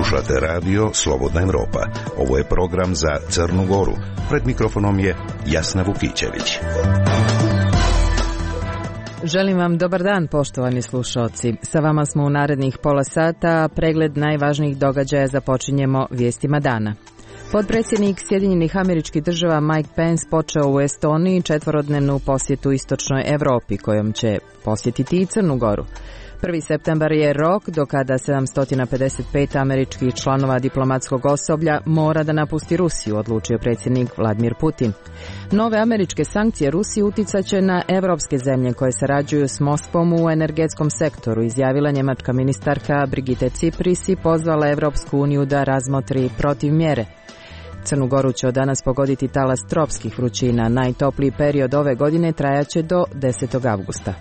Slušate radio Slobodna Evropa. Ovo je program za Crnu Goru. Pred mikrofonom je Jasna Vukićević. Želim vam dobar dan, poštovani slušalci. Sa vama smo u narednih pola sata, a pregled najvažnijih događaja započinjemo vijestima dana. Potpredsjednik Sjedinjenih Američkih Država Mike Pence počeo u Estoniji četvorodnevnu posjetu istočnoj Evropi, kojom će posjetiti i Crnu Goru. 1. septembar je rok do kada 755 američkih članova diplomatskog osoblja mora da napusti Rusiju, odlučio predsjednik Vladimir Putin. Nove američke sankcije Rusiji uticat će na evropske zemlje koje sarađuju s Moskvom u energetskom sektoru, izjavila njemačka ministarka Brigitte Cipris i pozvala Evropsku uniju da razmotri protivmjere. Crnu Goru će od danas pogoditi talas tropskih vrućina. Najtopliji period ove godine trajaće do 10. avgusta.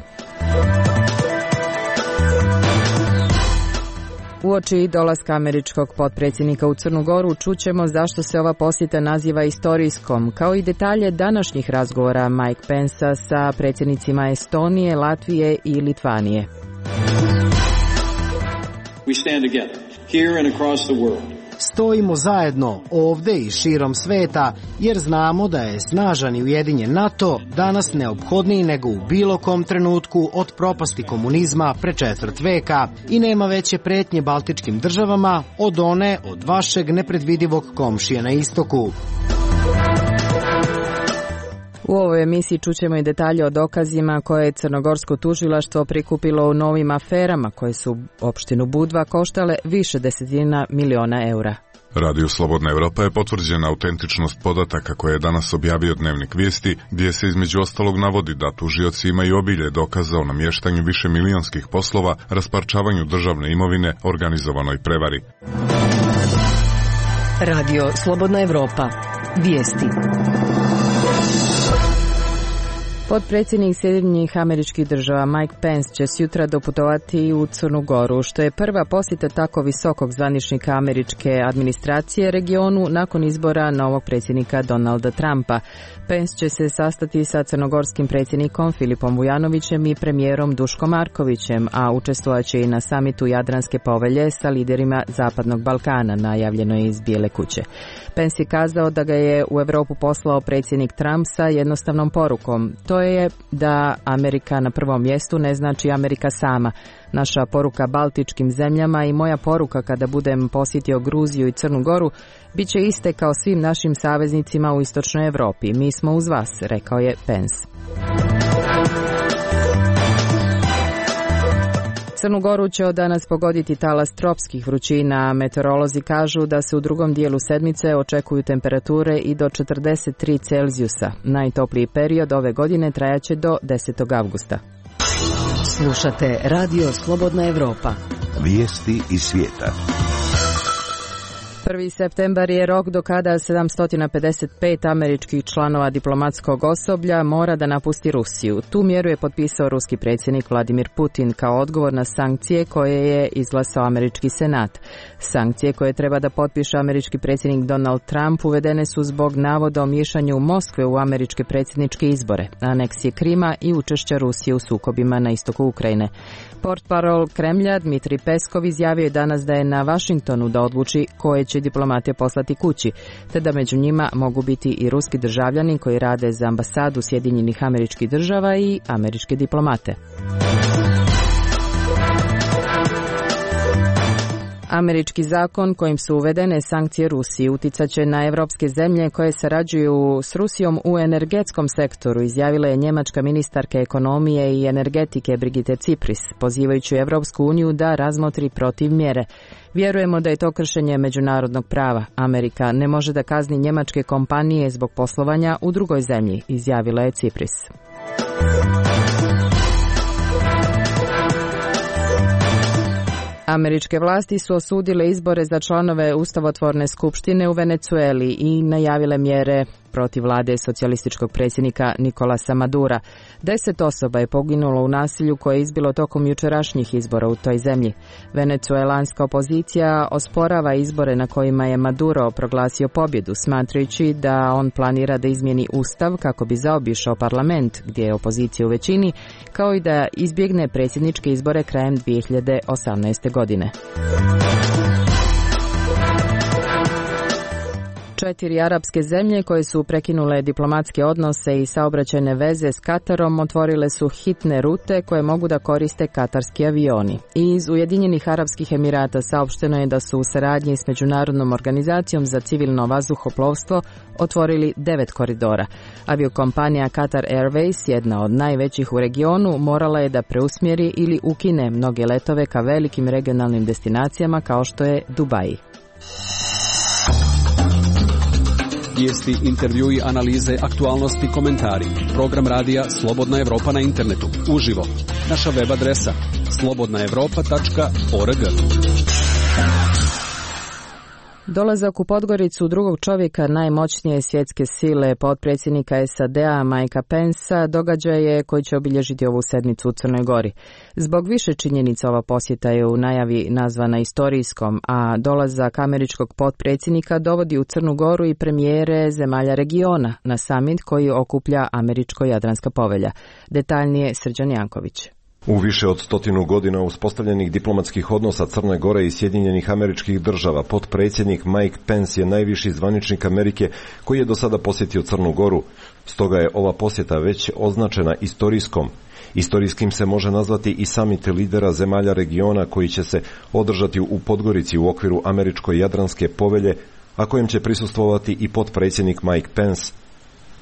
Uoči dolaska američkog potpredsjednika u Crnu Goru čućemo zašto se ova posjeta naziva istorijskom, kao i detalje današnjih razgovora Mike Pensa sa predsjednicima Estonije, Latvije i Litvanije. We stand together, here and across the world. Stojimo zajedno ovdje i širom sveta jer znamo da je snažan i ujedinjen NATO danas neophodniji nego u bilo kom trenutku od propasti komunizma pre četvrt veka i nema veće pretnje baltičkim državama od one od vašeg nepredvidivog komšije na istoku. U ovoj emisiji čućemo i detalje o dokazima koje je crnogorsko tužilaštvo prikupilo u novim aferama koje su opštinu Budva koštale više desetina miliona eura. Radio Slobodna Evropa je potvrđena autentičnost podataka koje je danas objavio Dnevnik vijesti, gdje se između ostalog navodi da tužioci imaju obilje dokaza o namještanju višemilionskih poslova, rasparčavanju državne imovine, organizovanoj prevari. Radio Slobodna Evropa. Vijesti. Potpredsjednik Sjedinjenih Američkih Država Mike Pence će sutra doputovati u Crnu Goru, što je prva posjeta tako visokog zvaničnika američke administracije regionu nakon izbora novog predsjednika Donalda Trumpa. Pence će se sastati sa crnogorskim predsjednikom Filipom Vujanovićem i premijerom Duškom Markovićem, a učestvovat će i na samitu Jadranske povelje sa liderima Zapadnog Balkana, najavljeno je iz Bijele kuće. Pence je kazao da ga je u Europu poslao predsjednik Trump sa jednostavnom porukom. To je da Amerika na prvom mjestu ne znači Amerika sama. Naša poruka baltičkim zemljama i moja poruka kada budem posjetio Gruziju i Crnu Goru bit će iste kao svim našim saveznicima u istočnoj Europi. Mi smo uz vas, rekao je Pence. Crnu Goru će od danas pogoditi talas tropskih vrućina. Meteorolozi kažu da se u drugom dijelu sedmice očekuju temperature i do 43 Celzijusa. Najtopliji period ove godine trajaće do 10. avgusta. Slušate Radio Slobodna Evropa. Vijesti iz svijeta. 1. septembar je rok do kada 755 američkih članova diplomatskog osoblja mora da napusti Rusiju. Tu mjeru je potpisao ruski predsjednik Vladimir Putin kao odgovor na sankcije koje je izglasao američki senat. Sankcije koje treba da potpiše američki predsjednik Donald Trump uvedene su zbog navoda o miješanju Moskve u američke predsjedničke izbore, aneksije Krima i učešća Rusije u sukobima na istoku Ukrajine. Portparol Kremlja Dmitrij Peskov izjavio je danas da je na Vašingtonu da odluči koje će diplomate poslati kući, te da među njima mogu biti i ruski državljani koji rade za ambasadu Sjedinjenih Američkih Država i američke diplomate. Američki zakon kojim su uvedene sankcije Rusiji uticat će na evropske zemlje koje sarađuju s Rusijom u energetskom sektoru, izjavila je njemačka ministarka ekonomije i energetike Brigitte Cipris, pozivajući Evropsku uniju da razmotri protivmjere. Vjerujemo da je to kršenje međunarodnog prava. Amerika ne može da kazni njemačke kompanije zbog poslovanja u drugoj zemlji, izjavila je Cipris. Američke vlasti su osudile izbore za članove ustavotvorne skupštine u Venecueli i najavile mjere protiv vlade socijalističkog predsjednika Nicolasa Madura. 10 osoba je poginulo u nasilju koje je izbilo tokom jučerašnjih izbora u toj zemlji. Venecuelanska opozicija osporava izbore na kojima je Maduro proglasio pobjedu, smatrajući da on planira da izmijeni ustav kako bi zaobišao parlament, gdje je opozicija u većini, kao i da izbjegne predsjedničke izbore krajem 2018. godine. 4 arapske zemlje koje su prekinule diplomatske odnose i saobraćajne veze s Katarom otvorile su hitne rute koje mogu da koriste katarski avioni. Iz Ujedinjenih Arapskih Emirata saopšteno je da su u saradnji s Međunarodnom organizacijom za civilno vazduhoplovstvo otvorili 9 koridora. Aviokompanija Qatar Airways, jedna od najvećih u regionu, morala je da preusmjeri ili ukine mnoge letove ka velikim regionalnim destinacijama kao što je Dubai. Vijesti, intervjui, analize, aktualnosti, komentari. Program radija Slobodna Evropa na internetu. Uživo. Naša web adresa slobodnaevropa.org. Dolazak u Podgoricu drugog čovjeka najmoćnije svjetske sile, potpredsjednika SAD-a Mikea Pensa, događaj je koji će obilježiti ovu sedmicu u Crnoj Gori. Zbog više činjenica ova posjeta je u najavi nazvana istorijskom, a dolazak američkog potpredsjednika dovodi u Crnu Goru i premijere zemalja regiona na samit koji okuplja Američko-Jadranska povelja. Detaljnije Srđan Janković. U više od 100 godina uspostavljenih diplomatskih odnosa Crne Gore i Sjedinjenih Američkih Država, potpredsjednik Mike Pence je najviši zvaničnik Amerike koji je do sada posjetio Crnu Goru. Stoga je ova posjeta već označena istorijskom. Istorijskim se može nazvati i samit lidera zemalja regiona koji će se održati u Podgorici u okviru Američko-Jadranske povelje, a kojem će prisustvovati i potpredsjednik Mike Pence.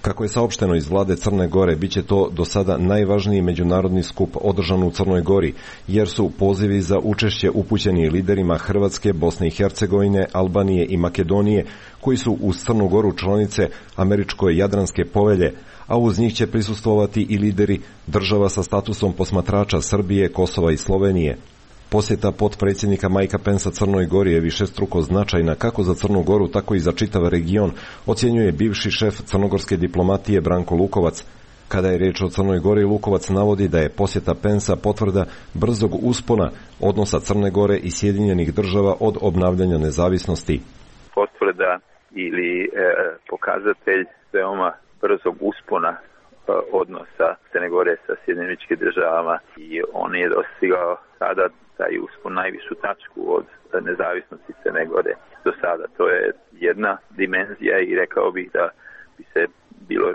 Kako je saopšteno iz vlade Crne Gore, bit će to do sada najvažniji međunarodni skup održan u Crnoj Gori, jer su pozivi za učešće upućeni liderima Hrvatske, Bosne i Hercegovine, Albanije i Makedonije, koji su uz Crnu Goru članice Američko-Jadranske povelje, a uz njih će prisustvovati i lideri država sa statusom posmatrača Srbije, Kosova i Slovenije. Posjeta potpredsjednika Mikea Pensa Crnoj Gori je višestruko značajna kako za Crnu Goru, tako i za čitav region, ocjenjuje bivši šef crnogorske diplomatije Branko Lukovac. Kada je riječ o Crnoj Gori, Lukovac navodi da je posjeta Pensa potvrda brzog uspona odnosa Crne Gore i Sjedinjenih Država od obnavljanja nezavisnosti. Potvrda ili pokazatelj veoma brzog uspona odnosa Crne Gore sa Sjedinjenim Državama i on je dostigao sada taj uspon najvišu tačku od nezavisnosti Crne Gore do sada. To je jedna dimenzija i rekao bih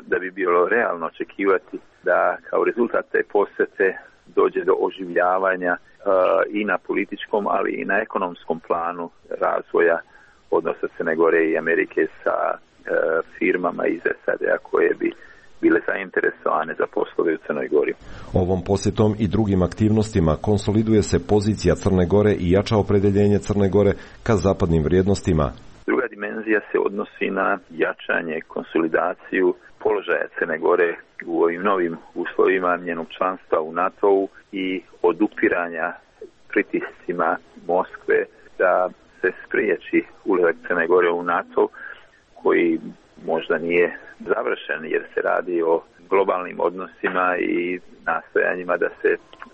da bi bilo realno očekivati da kao rezultat te posjete dođe do oživljavanja i na političkom, ali i na ekonomskom planu razvoja odnosa Crne Gore i Amerike sa firmama iz SAD-a koje bi bile zainteresovane za poslove u Crnoj Gori. Ovom posjetom i drugim aktivnostima konsoliduje se pozicija Crne Gore i jača opredeljenje Crne Gore ka zapadnim vrijednostima. Druga dimenzija se odnosi na jačanje, konsolidaciju položaja Crne Gore u ovim novim uslovima njenog članstva u NATO-u i odupiranja pritiscima Moskve da se spriječi ulazak Crne Gore u NATO, koji možda nije završen jer se radi o globalnim odnosima i nastojanjima da se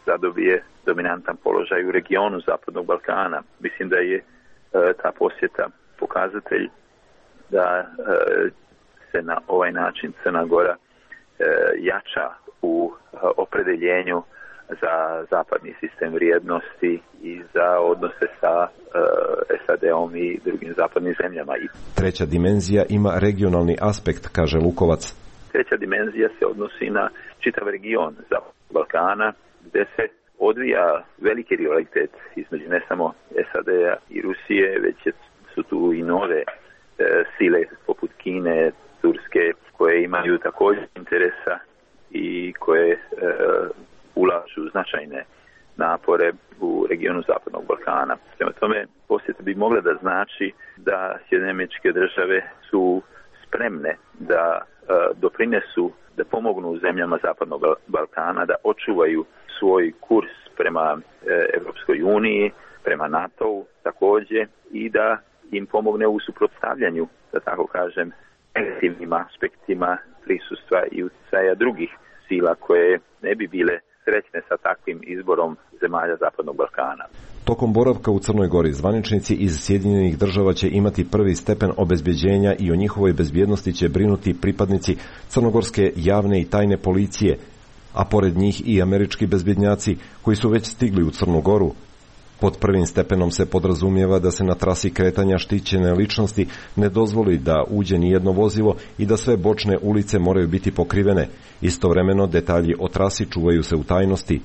zadobije dominantan položaj u regionu Zapadnog Balkana. Mislim da je ta posjeta pokazatelj da se na ovaj način Crna Gora jača u opredeljenju za zapadni sistem vrijednosti i za odnose sa SAD-om i drugim zapadnim zemljama. Treća dimenzija ima regionalni aspekt, kaže Lukovac. Treća dimenzija se odnosi na čitav region Zapadnog Balkana, gdje se odvija veliki rivalitet između ne samo SAD-a i Rusije, već su tu i nove sile poput Kine, Turske, koje imaju također interesa i koje ulažu značajne napore u regionu Zapadnog Balkana. Prema tome, posjeta bi mogla da znači da Sjedinjene Američke Države su spremne da doprinesu, da pomognu zemljama Zapadnog Balkana da očuvaju svoj kurs prema Europskoj uniji, prema NATO-u također i da im pomogne u suprotstavljanju, da tako kažem, negativnim aspektima prisustva i utjecaja drugih sila koje ne bi bile srećne sa takvim izborom zemalja Zapadnog Balkana. Tokom boravka u Crnoj Gori zvaničnici iz Sjedinjenih Država će imati prvi stepen obezbeđenja i o njihovoj bezbjednosti će brinuti pripadnici crnogorske javne i tajne policije, a pored njih i američki bezbjednjaci koji su već stigli u Crnu Goru. Pod prvim stepenom se podrazumijeva da se na trasi kretanja štićene ličnosti ne dozvoli da uđe ni jedno vozilo i da sve bočne ulice moraju biti pokrivene. Istovremeno detalji o trasi čuvaju se u tajnosti.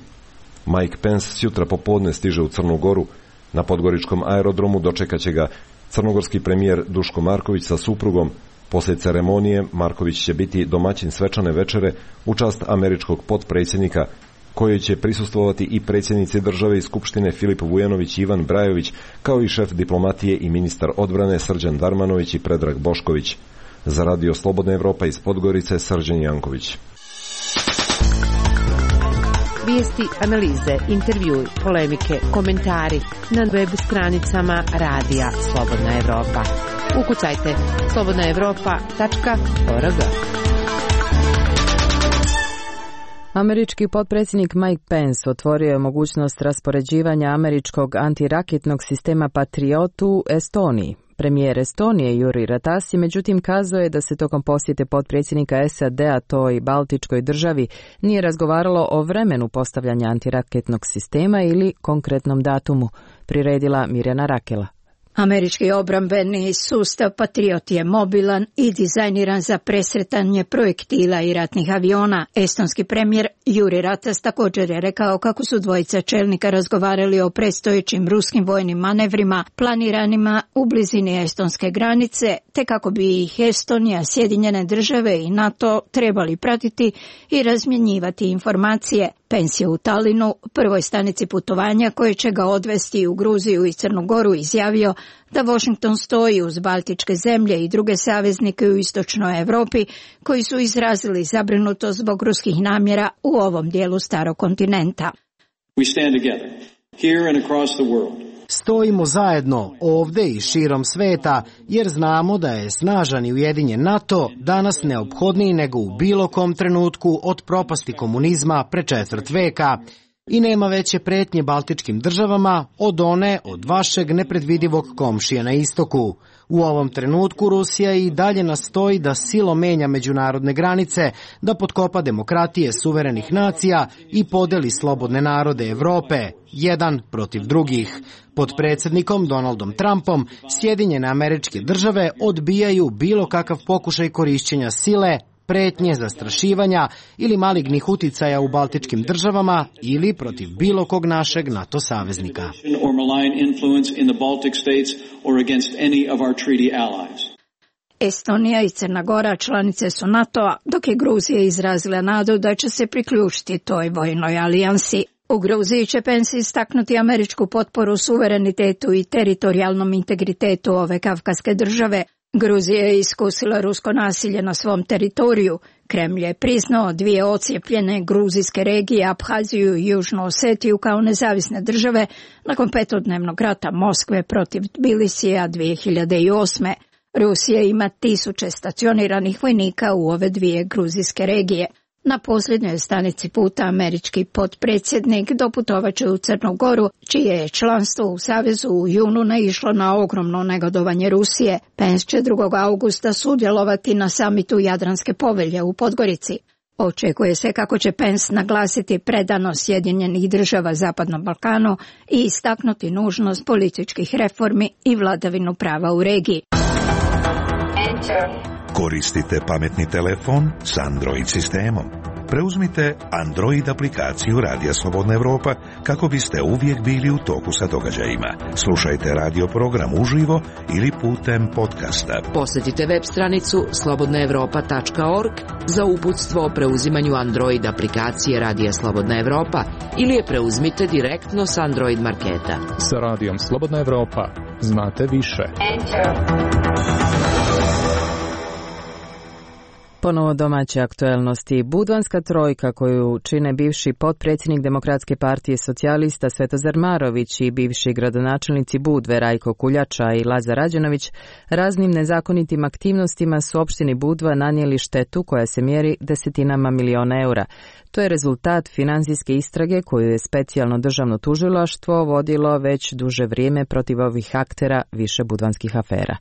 Mike Pence sutra popodne stiže u Crnu Goru. Na podgoričkom aerodromu dočekat će ga crnogorski premijer Duško Marković sa suprugom. Poslije ceremonije Marković će biti domaćin svečane večere u čast američkog potpredsjednika, kojoj će prisustvovati i predsjednici države i skupštine Filip Vujanović i Ivan Brajović, kao i šef diplomatije i ministar odbrane Srđan Darmanović i Predrag Bošković. Za Radio Slobodna Evropa iz Podgorice, Srđan Janković. Vijesti, analize, intervjui, polemike, komentari na web stranicama Radija Slobodna Evropa. Ukucajte slobodnaevropa.org. Američki potpredsjednik Mike Pence otvorio je mogućnost raspoređivanja američkog antiraketnog sistema Patriot u Estoniji. Premijer Estonije Juri Ratas je međutim kazao je da se tokom posjete potpredsjednika SAD-a toj baltičkoj državi nije razgovaralo o vremenu postavljanja antiraketnog sistema ili konkretnom datumu, priredila Mirjana Rakela. Američki obrambeni sustav Patriot je mobilan i dizajniran za presretanje projektila i ratnih aviona. Estonski premijer Juri Ratas također je rekao kako su dvojica čelnika razgovarali o predstojećim ruskim vojnim manevrima planiranima u blizini estonske granice, te kako bi ih Estonija, Sjedinjene države i NATO trebali pratiti i razmjenjivati informacije. Pence je u Talinu, prvoj stanici putovanja koje će ga odvesti u Gruziju i Crnu Goru, izjavio da Washington stoji uz baltičke zemlje i druge saveznike u istočnoj Europi koji su izrazili zabrinutost zbog ruskih namjera u ovom dijelu starog kontinenta. We stand together, here and across the world. Stojimo zajedno ovdje i širom sveta jer znamo da je snažan i ujedinjen NATO danas neophodniji nego u bilo kom trenutku od propasti komunizma pre četvrt veka. I nema veće pretnje baltičkim državama od one od vašeg nepredvidivog komšija na istoku. U ovom trenutku Rusija i dalje nastoji da silom menja međunarodne granice, da potkopa demokratije suverenih nacija i podeli slobodne narode Evrope, jedan protiv drugih. Pod predsjednikom Donaldom Trumpom Sjedinjene Američke Države odbijaju bilo kakav pokušaj korišćenja sile, pretnje, zastrašivanja ili malignih uticaja u baltičkim državama ili protiv bilo kog našeg NATO saveznika. Estonija i Crna Gora članice su NATO-a, dok je Gruzija izrazila nadu da će se priključiti toj vojnoj alijansi. U Gruziji će Pence istaknuti američku potporu suverenitetu i teritorijalnom integritetu ove kavkaske države. Gruzija je iskusila rusko nasilje na svom teritoriju. Kremlj je priznao dvije ocijepljene gruzijske regije, Abhaziju i Južnu Osetiju, kao nezavisne države nakon petodnevnog rata Moskve protiv Tbilisija 2008. Rusija ima 1000 stacioniranih vojnika u ove dvije gruzijske regije. Na posljednjoj stanici puta američki potpredsjednik doputovat će u Crnu Goru, čije je članstvo u Savezu u junu naišlo na ogromno negodovanje Rusije. Pence će 2. augusta sudjelovati na samitu Jadranske povelje u Podgorici. Očekuje se kako će Pence naglasiti predanost Sjedinjenih država Zapadnom Balkanu i istaknuti nužnost političkih reformi i vladavinu prava u regiji. Koristite pametni telefon s Android sistemom. Preuzmite Android aplikaciju Radija Slobodna Evropa kako biste uvijek bili u toku sa događajima. Slušajte radio program uživo ili putem podcasta. Posjetite web stranicu slobodnaevropa.org za uputstvo o preuzimanju Android aplikacije Radija Slobodna Evropa ili je preuzmite direktno s Android marketa. Sa Radijom Slobodna Evropa znate više. Ponovo domaće aktuelnosti. Budvanska trojka koju čine bivši potpredsjednik Demokratske partije socijalista Svetozar Marović i bivši gradonačelnici Budve Rajko Kuljača i Lazar Rađenović raznim nezakonitim aktivnostima su opštini Budva nanijeli štetu koja se mjeri desetinama miliona eura. To je rezultat financijske istrage koju je specijalno državno tužilaštvo vodilo već duže vrijeme protiv ovih aktera više budvanskih afera.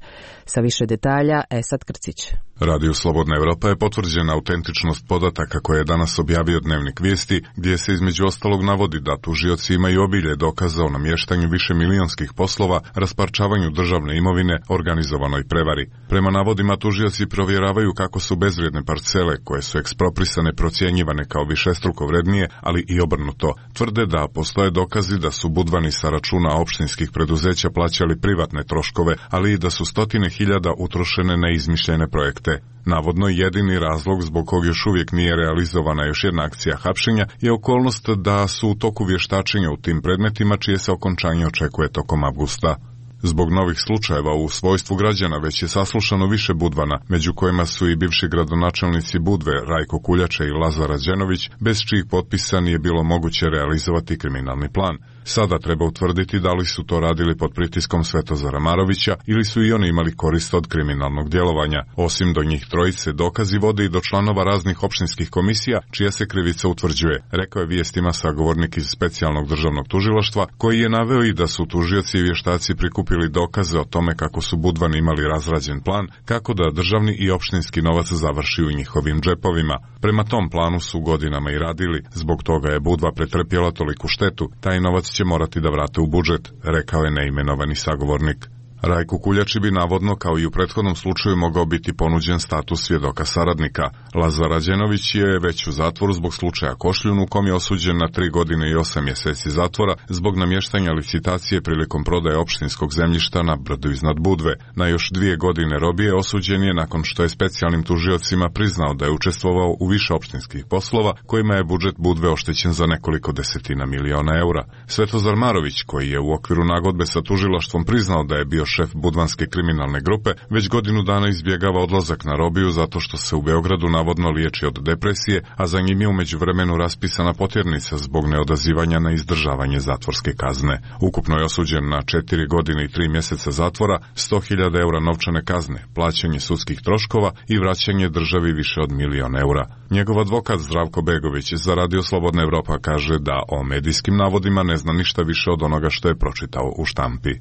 Sa više detalja, Esad Krcić. Radio Slobodna Evropa je potvrđena autentičnost podataka koje je danas objavio Dnevnik Vijesti, gdje se između ostalog navodi da tužioci imaju obilje dokaza o namještanju višemilionskih poslova, rasparčavanju državne imovine, organizovanoj prevari. Prema navodima tužioci provjeravaju kako su bezvrijedne parcele koje su eksproprisane procjenjivane kao višestruko vrednije, ali i obrnuto. Tvrde da postoje dokazi da su budvani sa računa opštinskih preduzeća plaćali privatne troškove, ali i da su stotine hiljada utrošene na izmišljene projekte. Navodno jedini razlog zbog kog još uvijek nije realizovana još jedna akcija hapšenja je okolnost da su u toku vještačenja u tim predmetima čije se okončanje očekuje tokom avgusta. Zbog novih slučajeva u svojstvu građana već je saslušano više budvana, među kojima su i bivši gradonačelnici Budve Rajko Kuljača i Lazar Rađenović, bez čijih potpisa nije bilo moguće realizovati kriminalni plan. Sada treba utvrditi da li su to radili pod pritiskom Svetozara Marovića ili su i oni imali korist od kriminalnog djelovanja. Osim do njih trojice, dokazi vode i do članova raznih opštinskih komisija, čija se krivica utvrđuje, rekao je Vijestima sagovornik iz specijalnog državnog tužilaštva, koji je naveo i da su tužioci i vještaci prikupili dokaze o tome kako su budvani imali razrađen plan, kako da državni i opštinski novac završi u njihovim džepovima. Prema tom planu su godinama i radili, zbog toga je Budva pretrpjela toliku štetu, taj novac će morati da vrate u budžet, rekao je neimenovani sagovornik. Rajku Kuljači bi navodno, kao i u prethodnom slučaju, mogao biti ponuđen status svjedoka saradnika. Lazar Rađenović je već u zatvoru zbog slučaja Košljun, u kom je osuđen na 3 godine i 8 mjeseci zatvora zbog namještanja licitacije prilikom prodaje opštinskog zemljišta na brdu iznad Budve. Na još 2 godine robije osuđen je nakon što je specijalnim tužiocima priznao da je učestvovao u više opštinskih poslova kojima je budžet Budve oštećen za nekoliko desetina miliona eura. Svetozar Marović, koji je u okviru nagodbe sa tužilaštvom priznao da je bio šef budvanske kriminalne grupe, već godinu dana izbjegava odlazak na robiju zato što se u Beogradu navodno liječi od depresije, a za njim je u međuvremenu raspisana potjernica zbog neodazivanja na izdržavanje zatvorske kazne. Ukupno je osuđen na 4 godine i 3 mjeseca zatvora, 100.000 eura novčane kazne, plaćanje sudskih troškova i vraćanje državi više od 1.000.000 eura. Njegov advokat Zdravko Begović za Radio Slobodna Evropa kaže da o medijskim navodima ne zna ništa više od onoga što je pročitao u štampi.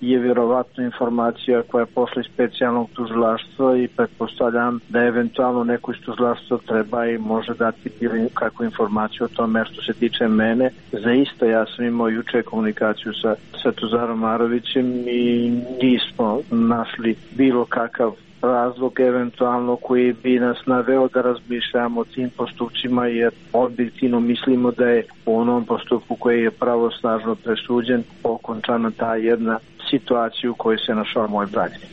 Je vjerovatno informacija koja je pošla iz specijalnog tužilaštva i pretpostavljam da eventualno neko iz tužilaštva treba i može dati bilo kakvu informaciju o tome. Što se tiče mene, zaista ja sam imao juče komunikaciju sa Svetozarom Marovićem i nismo našli bilo kakav razlog eventualno koji bi nas naveo da razmišljamo o tim postupcima, jer objektivno mislimo da je u onom postupku koji je pravosnažno presuđen okončana ta jedna situacija u kojoj se našao moj branitelj.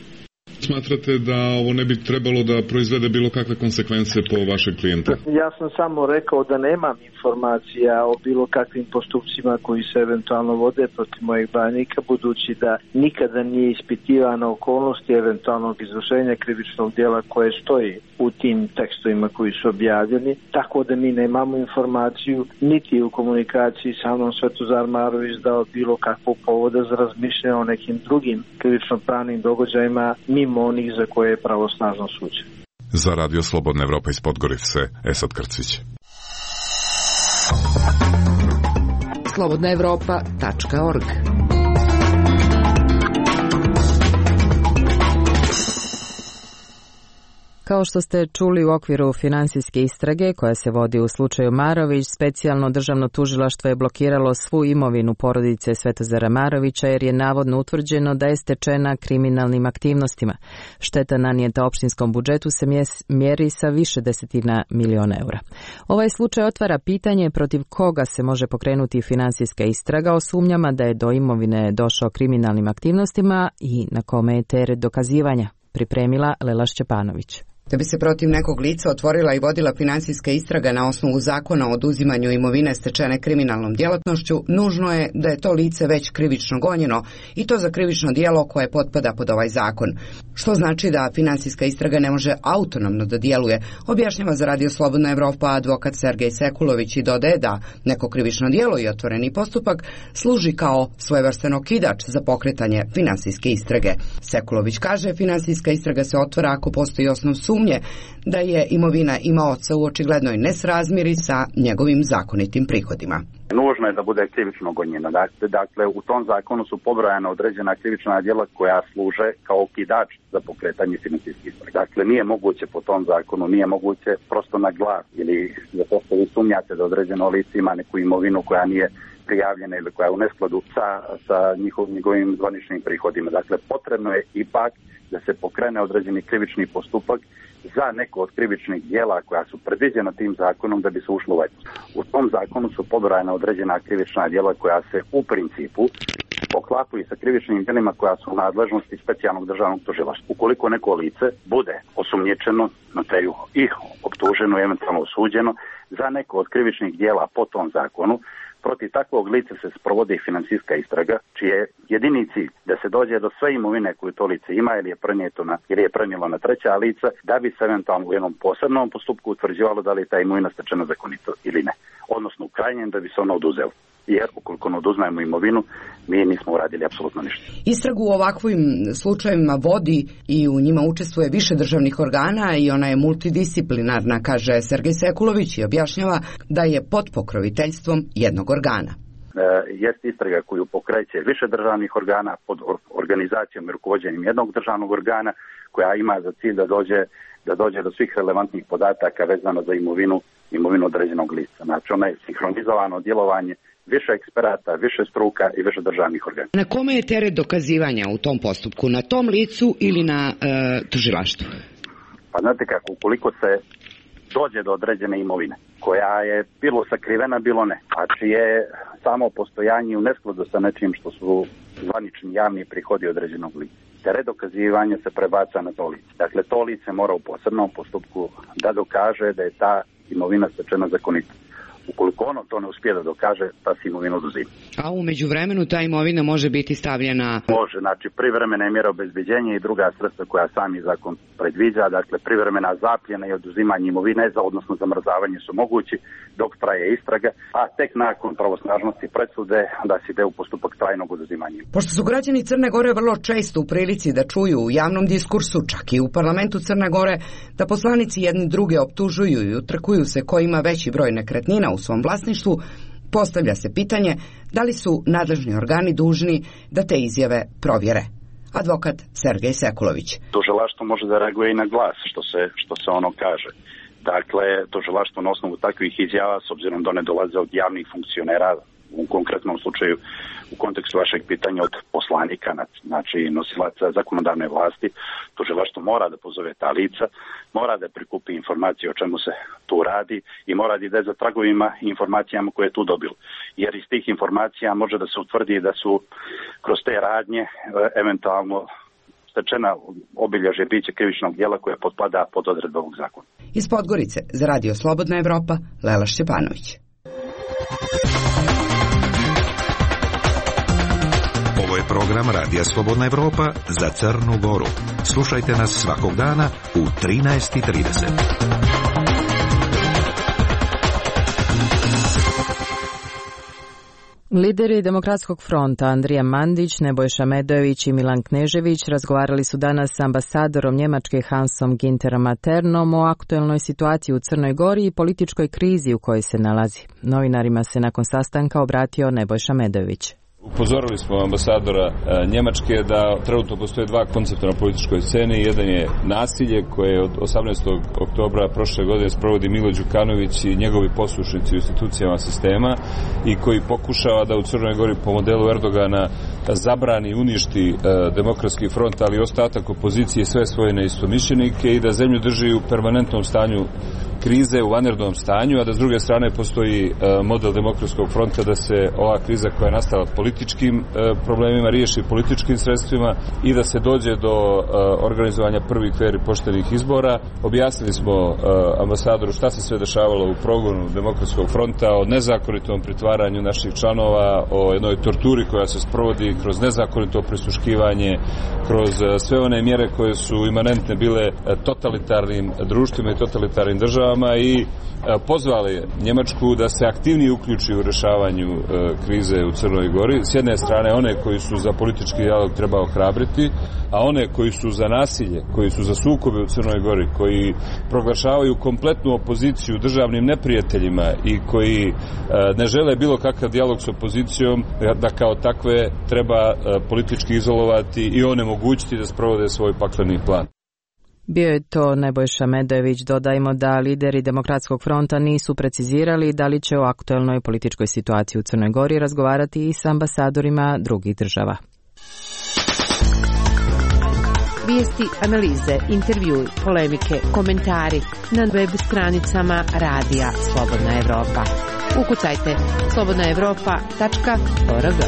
Smatrate da ovo ne bi trebalo da proizvede bilo kakve konsekvence po vašeg klijenta? Ja sam samo rekao da nemam informacija o bilo kakvim postupcima koji se eventualno vode protiv mojeg branjenika, budući da nikada nije ispitivana okolnosti eventualnog izvršenja krivičnog djela koje stoji u tim tekstovima koji su objavljeni, tako da mi nemamo informaciju niti u komunikaciji sa mnom Svetozar Marović dao bilo kakvog povoda za razmišljanje o nekim drugim krivično-pravnim događajima mimo onih za koje je pravosnažno suđen. Za Radio Slobodna Evropa iz Podgorice, Esad Krcić. slobodnaevropa.org. Kao što ste čuli, u okviru finansijske istrage koja se vodi u slučaju Marović, specijalno državno tužilaštvo je blokiralo svu imovinu porodice Svetozara Marovića jer je navodno utvrđeno da je stečena kriminalnim aktivnostima. Šteta nanijeta opštinskom budžetu se mjeri sa više desetina miliona eura. Ovaj slučaj otvara pitanje protiv koga se može pokrenuti finansijska istraga o sumnjama da je do imovine došao kriminalnim aktivnostima i na kome je teret dokazivanja, pripremila Lela Šćepanović. Da bi se protiv nekog lica otvorila i vodila finansijska istraga na osnovu zakona o oduzimanju imovine stečene kriminalnom djelatnošću, nužno je da je to lice već krivično gonjeno i to za krivično djelo koje potpada pod ovaj zakon. Što znači da finansijska istraga ne može autonomno da djeluje, objašnjava za Radio Slobodna Evropa advokat Sergej Sekulović i dodaje da neko krivično djelo i otvoreni postupak služi kao svojevrstan okidač za pokretanje finansijske istrage. Sekulović kaže, finansijska istraga se otvara ako postoji osnov sumnje da je imovina imaoca u očiglednoj nesrazmjeri sa njegovim zakonitim prihodima. Nužno je da bude krivično gonjena. Dakle, u tom zakonu su pobrojana određena krivična djela koja služe kao okidač za pokretanje financijskih istraga. Dakle, nije moguće po tom zakonu, nije moguće prosto na glas ili zato što vi sumnjate da određeno lice ima neku imovinu koja nije prijavljena ili koja je u neskladu sa njegovim zvaničnim prihodima. Dakle, potrebno je ipak da se pokrene određeni krivični postupak za neko od krivičnih djela koja su predviđena tim zakonom da bi se ušlo u ovaj postupak. U tom zakonu su pobrojana određena krivična djela koja se u principu poklapaju sa krivičnim djelima koja su u nadležnosti specijalnog državnog tužilaštva. Ukoliko neko lice bude osumnjičeno, na teju i optuženo, eventualno osuđeno za neko od krivičnih djela po tom zakonu, protiv takvog lica se sprovodi financijska istraga, čije jedini cilj da se dođe do sve imovine koju to lice ima ili je prenijelo na treća lica, da bi se eventualno u jednom posebnom postupku utvrđivalo da li je ta imovina stečena zakonito ili ne. Odnosno u krajnjem da bi se ona oduzela. Jer ukoliko ne oduzmemo imovinu, mi nismo uradili apsolutno ništa. Istragu u ovakvim slučajevima vodi i u njima učestvuje više državnih organa i ona je multidisciplinarna, kaže Sergej Sekulović i objašnjava da je pod pokroviteljstvom jednog organa. Jest istraga koju pokreće više državnih organa pod organizacijom i rukovođenjem jednog državnog organa koja ima za cilj da dođe do svih relevantnih podataka vezano za imovinu određenog lica. Znači ona je sinhronizovano djelovanje više eksperata, više struka i više državnih organa. Na kome je teret dokazivanja u tom postupku? Na tom licu ili na tužilaštvu? Pa znate kako, ukoliko se dođe do određene imovine, koja je bilo sakrivena, bilo ne, a čije samo postojanje u neskladu sa nečim što su zvanični javni prihodi određenog lica. Teret dokazivanja se prebaca na to lice. Dakle, to lice mora u posebnom postupku da dokaže da je ta imovina stečena zakonito. Ukoliko ono to ne uspije da dokaže, ta se imovina oduzima. A u međuvremenu ta imovina može biti stavljena? Može, znači privremene mjere obezbeđenja i druga sredstva koja sami zakon predviđa, dakle privremena zapljena i oduzimanje imovine, odnosno zamrzavanje su mogući dok traje istraga, a tek nakon pravosnažnosti presude da se ide u postupak trajnog oduzimanja. Pošto su građani Crne Gore vrlo često u prilici da čuju u javnom diskursu, čak i u parlamentu Crne Gore, da poslanici jedni druge optužuju i utrkuju se ko ima veći broj nekretnina u svom vlasništvu, postavlja se pitanje da li su nadležni organi dužni da te izjave provjere. Advokat Sergej Sekulović. Tužilaštvo može da reaguje i na glas što se ono kaže. Dakle, tužilaštvo na osnovu takvih izjava, s obzirom da one dolaze od javnih funkcionera, u konkretnom slučaju u kontekstu vašeg pitanja od poslanika, znači nosilaca zakonodavne vlasti, tužilaštvo mora da pozove ta lica, mora da prikupi informacije o čemu se tu radi i mora da ide za tragovima i informacijama koje je tu dobilo. Jer iz tih informacija može da se utvrdi da su kroz te radnje eventualno stečena obilježje biće krivičnog djela koje potpada pod odredbe ovog zakona. Iz Podgorice za Radio Slobodna Evropa, Lela Šćepanović. Ovo je program Radija Slobodna Evropa za Crnu Goru. Slušajte nas svakog dana u 13:30. Lideri Demokratskog fronta Andrija Mandić, Nebojša Medojević i Milan Knežević razgovarali su danas s ambasadorom Njemačke Hansom Ginterom Matternom o aktuelnoj situaciji u Crnoj Gori i političkoj krizi u kojoj se nalazi. Novinarima se nakon sastanka obratio Nebojša Medojević. Upozorili smo ambasadora Njemačke da trenutno postoje dva koncepta na političkoj sceni. Jedan je nasilje koje od 18. oktobra prošle godine sprovodi Milo Đukanović i njegovi poslušnici u institucijama sistema i koji pokušava da u Crnoj Gori po modelu Erdogana zabrani, uništi Demokratski front, ali i ostatak opozicije, sve svoje neistomišljenike i da zemlju drži u permanentnom stanju krize, u vanrednom stanju, a da s druge strane postoji model Demokratskog fronta da se ova kriza koja je nastala političkim problemima riješi političkim sredstvima i da se dođe do organizovanja prvih fer i poštenih izbora. Objasnili smo ambasadoru šta se sve dešavalo u progonu Demokratskog fronta, o nezakonitom pritvaranju naših članova, o jednoj torturi koja se sprovodi kroz nezakonito prisluškivanje, kroz sve one mjere koje su imanentne bile totalitarnim društvima i totalitarnim državama državama i pozvali Njemačku da se aktivnije uključi u rješavanju krize u Crnoj Gori. S jedne strane one koji su za politički dijalog treba ohrabriti, a one koji su za nasilje, koji su za sukobe u Crnoj Gori, koji proglašavaju kompletnu opoziciju državnim neprijateljima i koji ne žele bilo kakav dijalog s opozicijom, da kao takve treba politički izolovati i onemogućiti da sprovode svoj pakleni plan. Bio je to Nebojša Medojević. Dodajmo da lideri Demokratskog fronta nisu precizirali da li će o aktuelnoj političkoj situaciji u Crnoj Gori razgovarati i s ambasadorima drugih država. Vijesti, analize, intervjui, polemike, komentari na web stranicama Radija Slobodna Evropa. Ukucajte slobodnaevropa.org.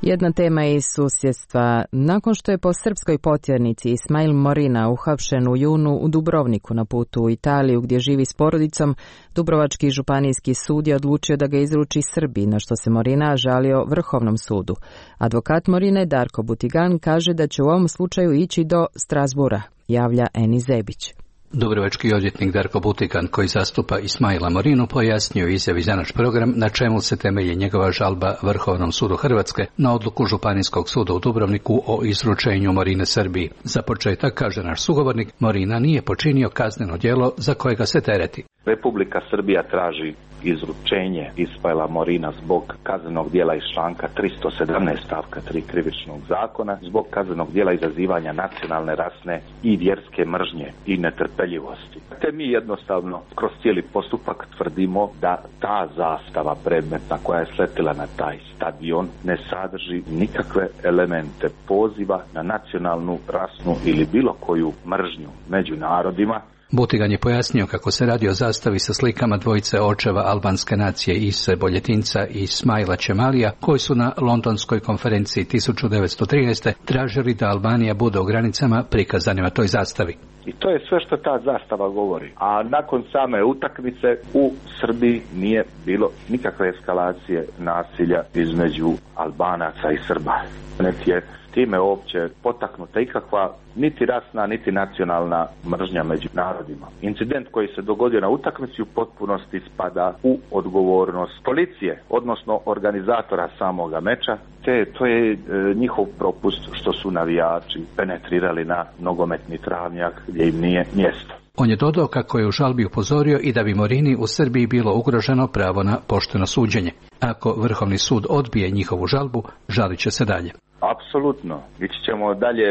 Jedna tema iz susjedstva. Nakon što je po srpskoj potjernici Ismail Morina uhapšen u junu u Dubrovniku na putu u Italiju gdje živi s porodicom, Dubrovački županijski sud je odlučio da ga izruči Srbiji, na što se Morina žalio Vrhovnom sudu. Advokat Morine Darko Butigan kaže da će u ovom slučaju ići do Strasbura, javlja Eni Zebić. Dubrovački odvjetnik Darko Butigan, koji zastupa Ismaila Morinu, pojasnio izjavi za naš program na čemu se temelji njegova žalba Vrhovnom sudu Hrvatske na odluku Županijskog suda u Dubrovniku o izručenju Morine Srbiji. Za početak, kaže naš sugovornik, Morina nije počinio kazneno djelo za kojega se tereti. Republika Srbija traži izručenje Ismaila Morina zbog kaznenog djela iz članka 317 stavka 3 krivičnog zakona, zbog kaznenog djela izazivanja nacionalne, rasne i vjerske mržnje i netrpeljivosti. Te mi jednostavno kroz cijeli postupak tvrdimo da ta zastava predmetna koja je sletila na taj stadion ne sadrži nikakve elemente poziva na nacionalnu, rasnu ili bilo koju mržnju među narodima. Butigan je pojasnio kako se radi o zastavi sa slikama dvojice očeva albanske nacije Ise Boljetinca i Ismaila Čemalija, koji su na londonskoj konferenciji 1913. tražili da Albanija bude u granicama prikazanima toj zastavi. I to je sve što ta zastava govori. A nakon same utakmice u Srbiji nije bilo nikakve eskalacije nasilja između Albanaca i Srba. Niti je time uopće potaknuta ikakva niti rasna, niti nacionalna mržnja među narodima. Incident koji se dogodio na utakmici u potpunosti spada u odgovornost policije, odnosno organizatora samoga meča, te to je njihov propust što su navijači penetrirali na nogometni travnjak gdje im nije mjesto. On je dodao kako je u žalbi upozorio i da bi Morini u Srbiji bilo ugroženo pravo na pošteno suđenje. Ako Vrhovni sud odbije njihovu žalbu, žalit će se dalje. Apsolutno. Ići ćemo dalje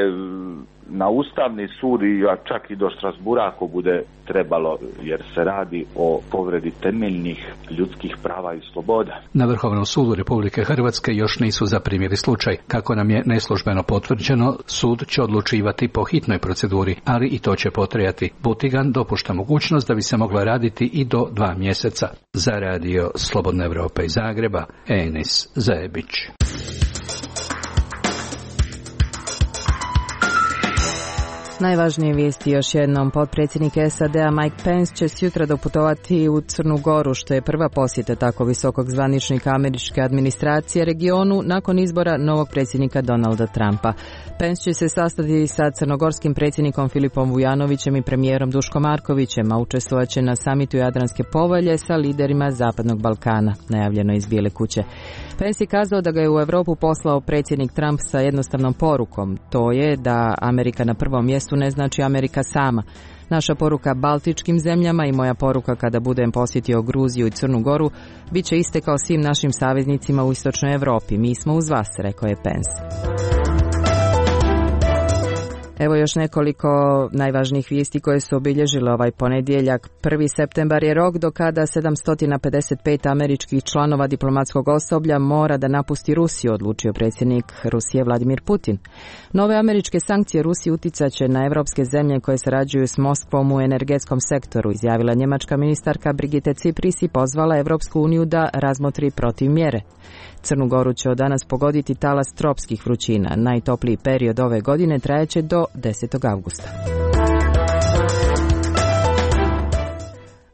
na Ustavni sud i čak i do Strasbura ako bude trebalo, jer se radi o povredi temeljnih ljudskih prava i sloboda. Na Vrhovnom sudu Republike Hrvatske još nisu zaprimili slučaj. Kako nam je neslužbeno potvrđeno, sud će odlučivati po hitnoj proceduri, ali i to će potrajati. Butigan dopušta mogućnost da bi se moglo raditi i do 2 mjeseca. Za radio Slobodna Evropa iz Zagreba, Enis Zajebić. Najvažnije vijesti još jednom. Potpredsjednik SAD-a Mike Pence će sjutra doputovati u Crnu Goru, što je prva posjeta tako visokog zvaničnika američke administracije regionu nakon izbora novog predsjednika Donalda Trumpa. Pence će se sastati sa crnogorskim predsjednikom Filipom Vujanovićem i premijerom Duškom Markovićem, a učestvovat će na samitu Jadranske povelje sa liderima Zapadnog Balkana, najavljeno iz Bijele kuće. Pence je kazao da ga je u Europu poslao predsjednik Trump sa jednostavnom porukom. To je da Amerika na prvom mjestu ne znači Amerika sama. Naša poruka baltičkim zemljama i moja poruka kada budem posjetio Gruziju i Crnu Goru bit će iste kao svim našim saveznicima u istočnoj Europi. Mi smo uz vas, rekao je Pence. Evo još nekoliko najvažnijih vijesti koje su obilježile ovaj ponedjeljak. 1. septembar je rok do kada 755 američkih članova diplomatskog osoblja mora da napusti Rusiju, odlučio predsjednik Rusije Vladimir Putin. Nove američke sankcije Rusiji uticat će na evropske zemlje koje sarađuju s Moskvom u energetskom sektoru, izjavila njemačka ministarka Brigitte Cipris i pozvala Evropsku uniju da razmotri protivmjere. Crnu Goru će od danas pogoditi talas tropskih vrućina. Najtopliji period ove godine trajeće do 10. avgusta.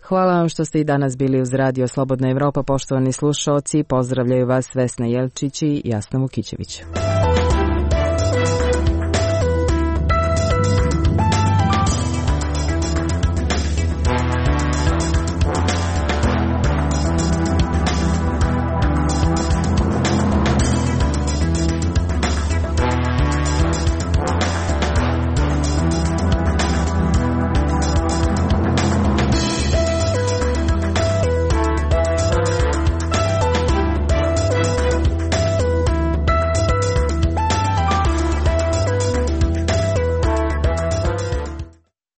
Hvala vam što ste i danas bili uz Radio Slobodna Evropa, poštovani slušaoci. Pozdravljaju vas Vesna Jelčić i Jasna Vukićević.